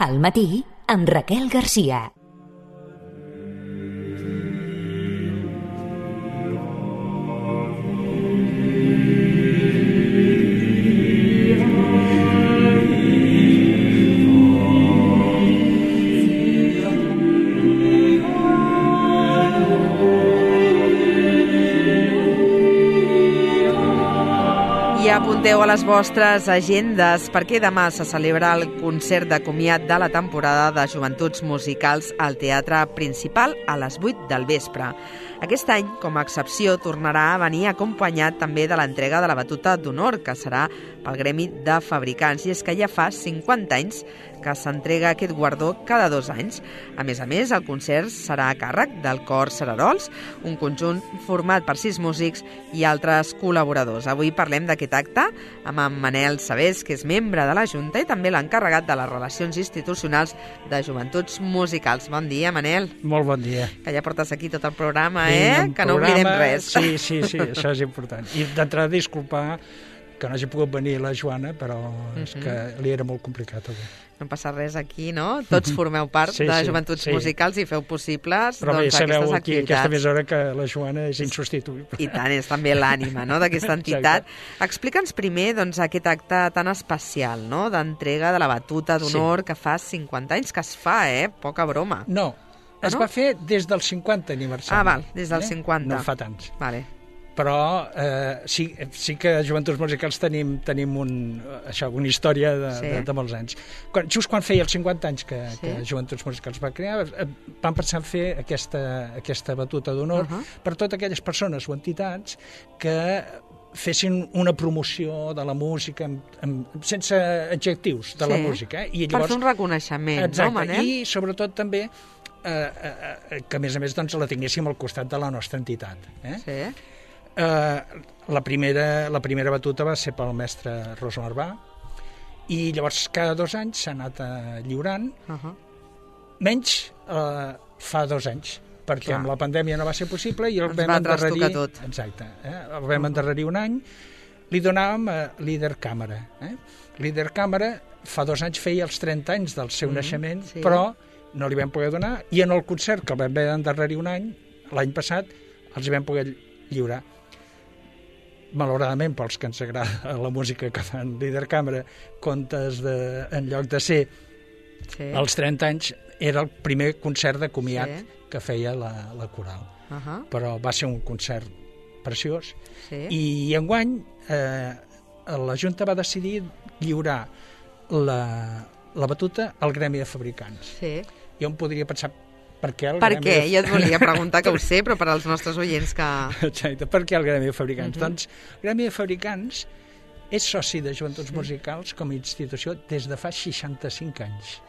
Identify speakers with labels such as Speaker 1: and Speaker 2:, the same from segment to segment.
Speaker 1: Al matí, amb Raquel Garcia.
Speaker 2: Apunteu a les vostres agendes perquè demà se celebra el concert de comiat de la temporada de Joventuts Musicals al Teatre Principal a les 8 del vespre. Aquest any, com a excepció, tornarà a venir acompanyat també de l'entrega de la batuta d'honor, que serà pel Gremi de Fabricants. I és que ja fa 50 anys que s'entrega aquest guardó cada 2 anys. A més, el concert serà a càrrec del Cor Cerarols, un conjunt format per 6 músics i altres col·laboradors. Avui parlem d'aquest acte amb en Manel Sabés, que és membre de la Junta i també l'encarregat de les relacions institucionals de Joventuts Musicals. Bon dia, Manel.
Speaker 3: Molt bon dia.
Speaker 2: Que ja portes aquí tot el programa, que no oblidem res.
Speaker 3: Sí, això és important. I d'entrada disculpar que no hagi pogut venir la Joana, però és que li era molt complicat avui.
Speaker 2: No passa res aquí, no? Tots formeu part de Joventuts Musicals i feu possibles
Speaker 3: però bé, sabeu aquí,
Speaker 2: activitats.
Speaker 3: Aquesta mesura, que la Joana és insubstituïble.
Speaker 2: I tant, és també l'ànima, no?, d'aquesta entitat. Explica'ns primer aquest acte tan especial, no?, d'entrega de la batuta d'honor que fa 50 anys que es fa, poca broma.
Speaker 3: No, es va fer des del 50 aniversari.
Speaker 2: Ah, val, des del 50.
Speaker 3: No fa tants.
Speaker 2: Vale.
Speaker 3: Però sí que a Joventuts Musicals tenim una història de molts anys. Just quan feia els 50 anys que Joventuts Musicals va crear, vam pensar en fer aquesta batuta d'honor per totes aquelles persones o entitats que fessin una promoció de la música sense adjectius de la música. I llavors,
Speaker 2: per fer un reconeixement, no, Manel?
Speaker 3: I sobretot també que a més la tinguéssim al costat de la nostra entitat.
Speaker 2: Sí.
Speaker 3: La primera batuta va ser pel mestre Rosa Marbà i llavors cada 2 anys s'ha anat lliurant, menys fa 2 anys, perquè amb la pandèmia no va ser possible i el vam endarrerir. Exacte, el vam endarrerir un any. Li donàvem a Líder Càmera. Líder Càmera fa 2 anys feia els 30 anys del seu naixement, però no li vam poder donar, i en el concert que el vam haver d'endarrerir un any, l'any passat, els hi vam poder lliurar. Malauradament, pels que ens agrada la música que fan Líder Càmera, comptes en lloc de ser als 30 anys, era el primer concert de comiat que feia la coral. Però va ser un concert preciós. I enguany la Junta va decidir lliurar la batuta al Gremi de Fabricants. Jo em podria pensar per què el Gremi de Fabricants.
Speaker 2: Jo et volia preguntar, que ho sé, però per als nostres oients que...
Speaker 3: Exacte, per què el Gremi de Fabricants? Doncs el Gremi de Fabricants és soci de Joventuts Musicals com a institució des de fa 65 anys.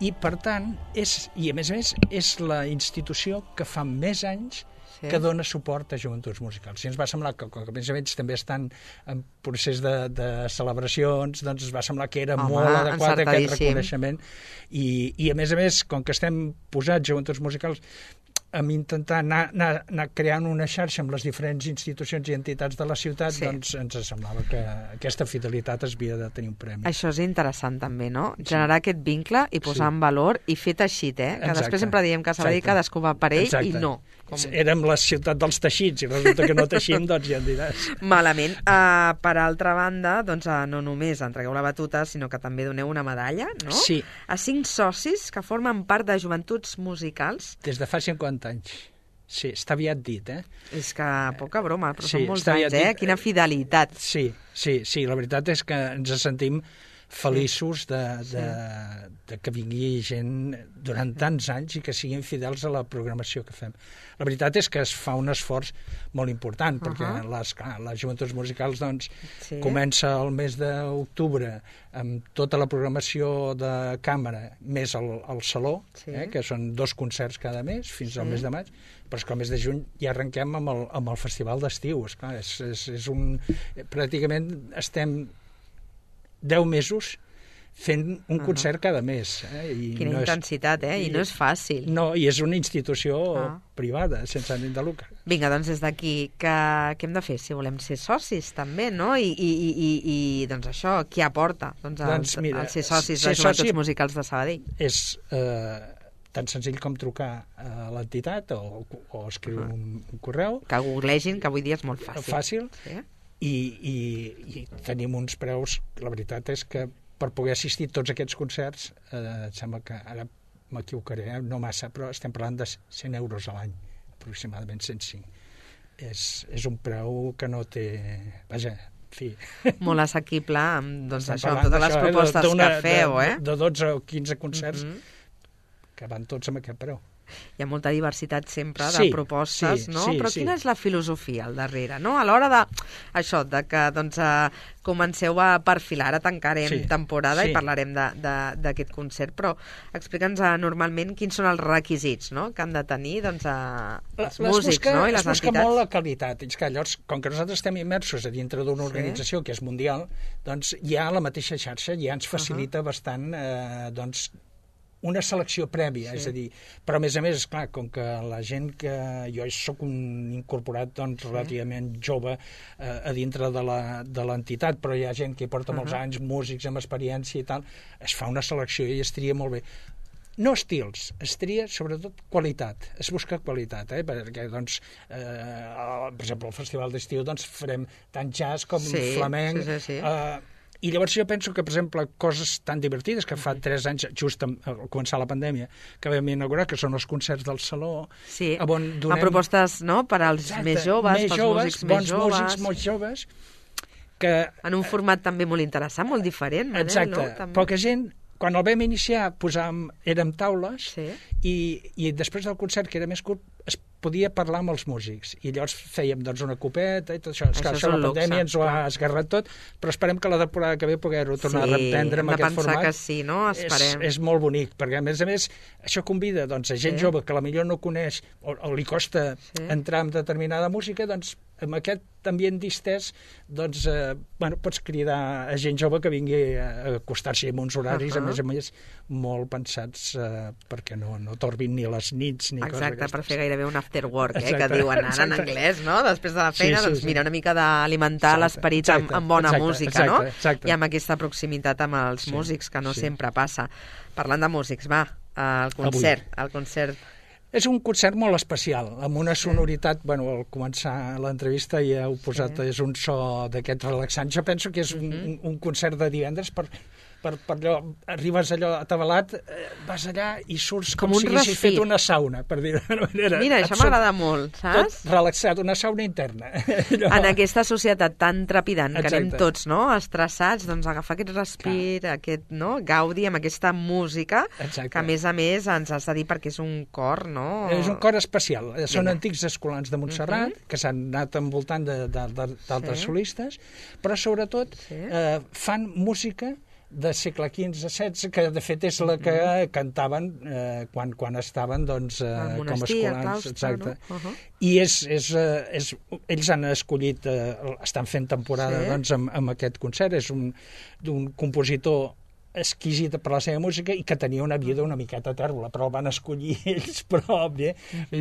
Speaker 3: I per tant, i a més és la institució que fa més anys que dona suport a Joventuts Musicals. I ens va semblar que, a més a més, també estan en procés de celebracions, doncs es va semblar que era molt adequat aquest reconeixement. I a més, com que estem posats Joventuts Musicals, amb intentar anar creant una xarxa amb les diferents institucions i entitats de la ciutat, doncs ens semblava que aquesta fidelitat es havia de tenir un premi.
Speaker 2: Això és interessant també, no? Generar aquest vincle i posar en valor i fet teixit, que després sempre diem que s'ha de dir cadascú va per ell i no.
Speaker 3: Érem la ciutat dels teixits i resulta que no teixim, doncs ja en diràs.
Speaker 2: Malament. Per altra banda, doncs no només entregueu la batuta, sinó que també doneu una medalla, no?
Speaker 3: Sí.
Speaker 2: A 5 socis que formen part de Joventuts Musicals.
Speaker 3: Des de fa 50 anys. Sí, està aviat dit,
Speaker 2: És que poca broma, però són molts anys, Quina fidelitat.
Speaker 3: Sí, la veritat és que ens sentim feliços de que vingui gent durant tants anys i que siguin fidels a la programació que fem. La veritat és que es fa un esforç molt important, perquè les Joventuts Musicals comença el mes d'octubre amb tota la programació de càmera, més el Saló, que són 2 concerts cada mes, fins al mes de maig, però és que al mes de juny ja arrenquem amb el Festival d'Estiu. Pràcticament estem 10 mesos fent un concert cada mes.
Speaker 2: Quina intensitat, I no és fàcil.
Speaker 3: No, i és una institució privada, sense ànim de lucre.
Speaker 2: Vinga, doncs des d'aquí, què hem de fer si volem ser socis també, no? I doncs això, qui aporta el ser socis de Joventuts Musicals de Sabadell?
Speaker 3: És tan senzill com trucar a l'entitat o escriure un correu.
Speaker 2: Que googlegin, que avui dia és molt fàcil.
Speaker 3: Fàcil. Sí. I tenim uns preus, la veritat és que per poder assistir a tots aquests concerts, sembla que ara m'equivocaré, no massa, però estem parlant de 100 euros a l'any, aproximadament 105. És un preu que no té... Vaja, en fi...
Speaker 2: Molt assequible amb, doncs, això, amb totes les propostes que feu,
Speaker 3: De 12 o 15 concerts que van tots amb aquest preu.
Speaker 2: Hi ha molta diversitat sempre de propostes, no? Però quina és la filosofia al darrere, no? A l'hora de que doncs, comenceu a perfilar, ara tancarem temporada i parlarem d'aquest concert, però explica'ns normalment quins són els requisits, no?, que han de tenir doncs, els músics, no?, i les entitats.
Speaker 3: Es busca molt la qualitat. És que llavors, com que nosaltres estem immersos a dintre d'una organització que és mundial, doncs ja la mateixa xarxa ja ens facilita bastant doncs una selecció prèvia, és a dir, però a més, esclar, com que la gent que... Jo soc un incorporat doncs, relativament jove a dintre de l'entitat, però hi ha gent que hi porta molts anys, músics amb experiència i tal, es fa una selecció i es tria molt bé. No estils, es tria sobretot qualitat, es busca qualitat, perquè, doncs, per exemple, al Festival d'Estiu doncs, farem tant jazz com flamenc, i llavors jo penso que, per exemple, coses tan divertides que fa 3 anys, just al començar la pandèmia, que vam inaugurar, que són els concerts del Saló, on donem...
Speaker 2: A propostes, no?, per als més joves, pels músics més joves.
Speaker 3: Bons músics molt joves. Que...
Speaker 2: En un format també molt interessant, molt diferent, Manel,
Speaker 3: exacte.
Speaker 2: No?
Speaker 3: Poca gent... Quan el vam iniciar érem taules i després del concert, que era més curt, es podia parlar amb els músics. I llavors fèiem doncs, una copeta i tot això. Això la pandèmia ens ho ha esgarrat tot, però esperem que la temporada que ve poder-ho tornar a reprendre amb aquest format.
Speaker 2: Que sí, no? Esperem.
Speaker 3: És molt bonic, perquè a més, això convida doncs, a gent jove que potser no coneix o li costa entrar en determinada música, doncs amb aquest ambient distès doncs, pots cridar a gent jove que vingui a acostar-s'hi amb uns horaris, a més, molt pensats perquè no torbin ni les nits ni coses d'aquestes.
Speaker 2: Exacte, per fer gairebé un after work, que diuen ara en anglès, no? Després de la feina, doncs mira, una mica d'alimentar l'esperit amb bona música, no? I amb aquesta proximitat amb els músics, que no sempre passa. Parlant de músics, va, el concert.
Speaker 3: És un concert molt especial, amb una sonoritat, al començar l'entrevista ja heu posat, és un so d'aquests relaxants. Jo penso que és un concert de divendres per allò, arribes allò atabalat, vas allà i surts com si haguessis fet una sauna, per dir-ho d'una manera.
Speaker 2: Mira, això m'agrada molt, saps?
Speaker 3: Tot relaxat, una sauna interna.
Speaker 2: En aquesta societat tan trepidant que anem tots, no?, estressats, doncs agafar aquest respir, aquest gaudi amb aquesta música, que a més ens has de dir perquè és un cor, no?
Speaker 3: És un cor especial. Són antics escolans de Montserrat, que s'han anat envoltant d'altres solistes, però sobretot fan música de segle XV-XVI, que de fet és la que cantaven quan estaven doncs, com a escolans.
Speaker 2: Exacte.
Speaker 3: I ells han escollit, estan fent temporada doncs, amb aquest concert, és d'un compositor exquisit per la seva música i que tenia una vida una miqueta tèrbola, però el van escollir ells, però bé,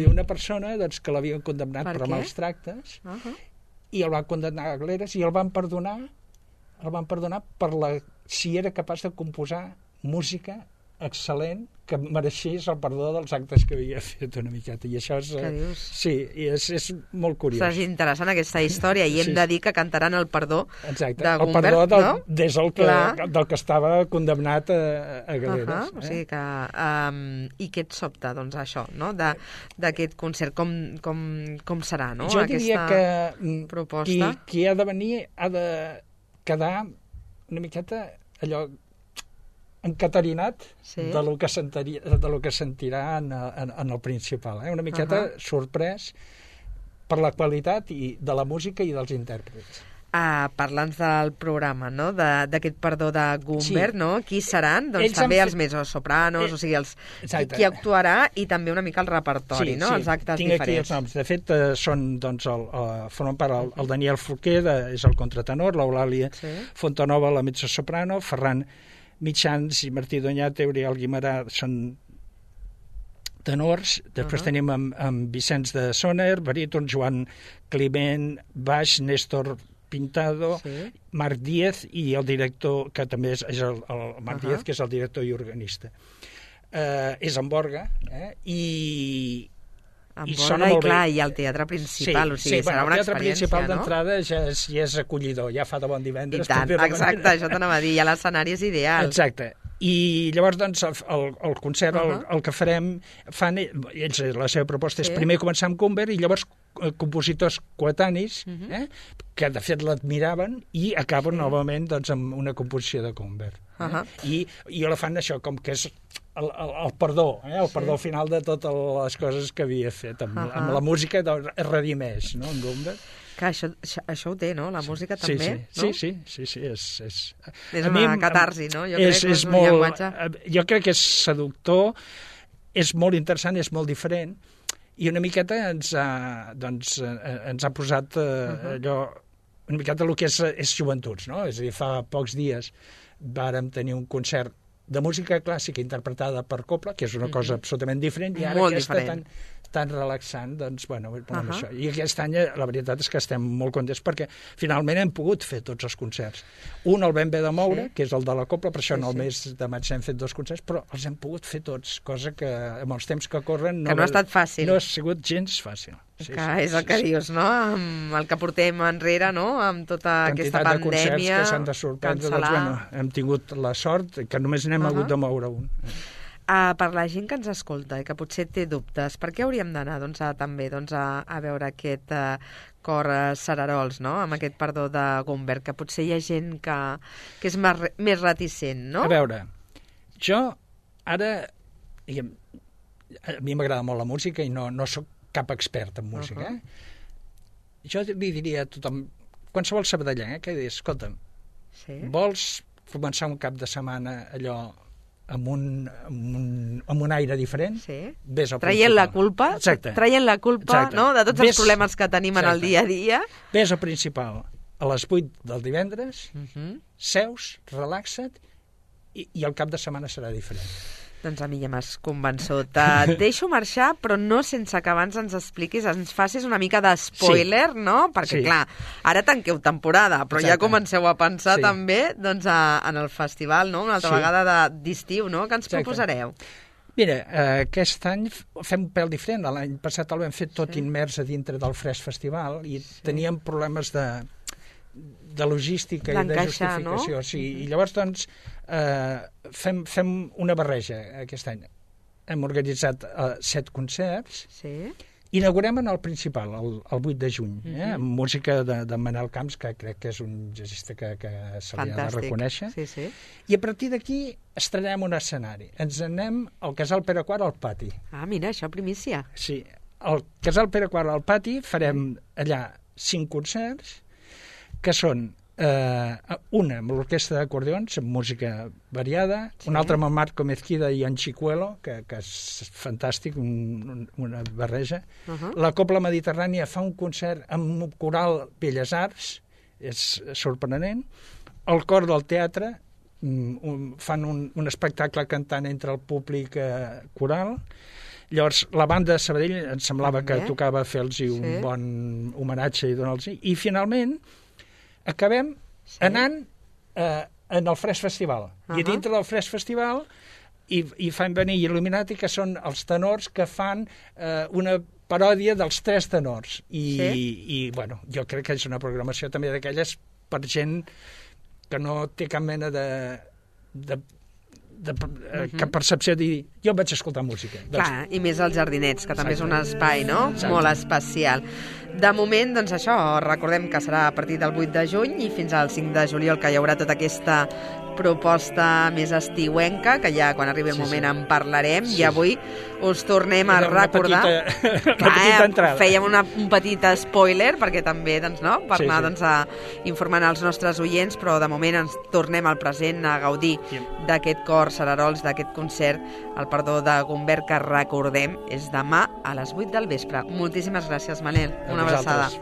Speaker 3: una persona doncs, que l'havien condemnat per mals tractes i el van condemnar a galeres i el van perdonar si era capaç de composar música excel·lent que mereixés el perdó dels actes que havia fet una miqueta. I això és... Sí, és molt curiós.
Speaker 2: És interessant aquesta història i hem de dir que cantaran el perdó de Gumbert,
Speaker 3: el perdó des del que estava condemnat a galeres.
Speaker 2: O sigui que... I què et sobta, doncs, això, no?, d'aquest concert? Com serà, no?,
Speaker 3: jo diria que
Speaker 2: proposta?
Speaker 3: Qui ha de venir ha de quedar una miqueta allò encaterinat de lo que sentirà en el principal. Una miqueta sorprès per la qualitat de la música i dels intèrprets.
Speaker 2: Parla'ns del programa, no?, d'aquest perdó de Gumbert, no? Qui seran? Doncs també els mezzosopranos, o sigui, qui actuarà i també una mica el repertori, no?, els actes diferents.
Speaker 3: Tinc aquí els noms. De fet, són, doncs, formen part el Daniel Forquer, és el contratenor, l'Eulàlia Fontanova, la mezzosoprano, Ferran mitjans, i Martí Doñate, Oriol Guimarà, són tenors. Després tenim amb Vicenç de Soner, baríton, Joan Climent, baix, Néstor Pintado, Marc Díez i el director, que també és el Marc Díez, que és el director i organista. És en Borga, i sona molt bé.
Speaker 2: I el teatre principal, o sigui, serà una experiència, no?
Speaker 3: El teatre principal d'entrada ja és acollidor, ja fa de bon divendres.
Speaker 2: I tant, exacte, això t'anava a dir, ja l'escenari és ideal.
Speaker 3: Exacte. I llavors, doncs, el concert, el que farem, ells, la seva proposta és primer començar amb Cumber i llavors compositors coetanis, que de fet l'admiraven, i acaben novament doncs, amb una composició de Cumber. I la fan això, com que és el perdó, el perdó final de totes les coses que havia fet. Amb la música es redimeix, no?, en Cumber.
Speaker 2: Que això ho té, no?, la música també, no?
Speaker 3: Sí,
Speaker 2: és una catarsi, no? Jo crec que és un llenguatge...
Speaker 3: Jo crec que és seductor, és molt interessant, és molt diferent, i una miqueta ens ha posat allò, una miqueta el que és joventuts, no? És a dir, fa pocs dies vàrem tenir un concert de música clàssica interpretada per cobla, que és una cosa absolutament diferent, i ara aquesta tan relaxant, doncs, bueno, això. I aquest any la veritat és que estem molt contents perquè finalment hem pogut fer tots els concerts. Un el vam haver de moure, que és el de la cobla, per això en el mes de maig hem fet 2 concerts, però els hem pogut fer tots, cosa que amb els temps que corren...
Speaker 2: Que no ha estat fàcil.
Speaker 3: No ha sigut gens fàcil.
Speaker 2: És el que dius, no? Amb el que portem enrere, no? Amb tota aquesta pandèmia...
Speaker 3: Quantitat de concerts que s'han de sorprendre, doncs, bueno, hem tingut la sort que només n'hem hagut de moure un.
Speaker 2: Per la gent que ens escolta i que potser té dubtes, per què hauríem d'anar també a veure aquest cor Cerarols, no?, amb aquest perdó de Gumber, que potser hi ha gent que és més reticent, no?
Speaker 3: A veure, jo ara... A mi m'agrada molt la música i no sóc cap expert en música. Jo li diria a tothom, qualsevol sabadellenc, que dius, escolta'm, vols començar un cap de setmana allò amb un aire diferent?
Speaker 2: Traient la culpa, no?, de tots els problemes que tenim en el dia a dia.
Speaker 3: Ves al Principal a les 8 del divendres, seus, relaxa't, i el cap de setmana serà diferent.
Speaker 2: Doncs a mi ja m'has convençut. Et deixo marxar, però no sense que abans ens expliquis, ens facis una mica de spoiler, no? Perquè, clar, ara tanqueu temporada, però ja comenceu a pensar també doncs, en el festival, no?, una altra vegada d'estiu, no?, que ens proposareu.
Speaker 3: Mira, aquest any fem un pèl diferent. L'any passat el vam fer tot immers a dintre del Fresc Festival i teníem problemes de logística i de justificació. I llavors, doncs, fem una barreja aquest any. Hem organitzat 7 concerts. Inaugurem en el Principal, el 8 de juny, amb música de Manel Camps, que crec que és un jazzista que se li ha de reconèixer. I a partir d'aquí estrenem un escenari. Ens anem al Casal Pere IV al pati.
Speaker 2: Ah, mira, això primícia.
Speaker 3: Sí, al Casal Pere IV al pati farem allà 5 concerts, que són una amb l'orquestra d'acordions, amb música variada, una altra amb el Marco Mezquida i en Chicuelo, que és fantàstic, una barreja. La Cobla Mediterrània fa un concert amb un coral Belles Arts, és sorprenent. El cor del teatre fan un espectacle cantant entre el públic coral. Llavors, la banda de Sabadell ens semblava que tocava fer-los un bon homenatge i donar-los. I finalment acabem anant en el Fresc Festival. I dintre del Fresc Festival hi fan venir Illuminati, que són els tenors que fan una paròdia dels 3 tenors. I bueno, jo crec que és una programació també d'aquelles per gent que no té cap mena de cap percepció de dir, jo vaig escoltar música.
Speaker 2: Clar, i més als Jardinets, que també és un espai, no?, molt especial. De moment, doncs això, recordem que serà a partir del 8 de juny i fins al 5 de juliol, que hi haurà tota aquesta proposta més estiuenca, que ja quan arribi el moment en parlarem, i avui us tornem a recordar...
Speaker 3: Una petita entrada.
Speaker 2: Fèiem un petit spoiler, perquè també, doncs, no?, per anar informant els nostres oients, però de moment ens tornem al present a gaudir d'aquest cor Cerarols, d'aquest concert, el perdó de Gumber, que recordem és demà a les 8 del vespre. Moltíssimes gràcies, Manel. Una abraçada.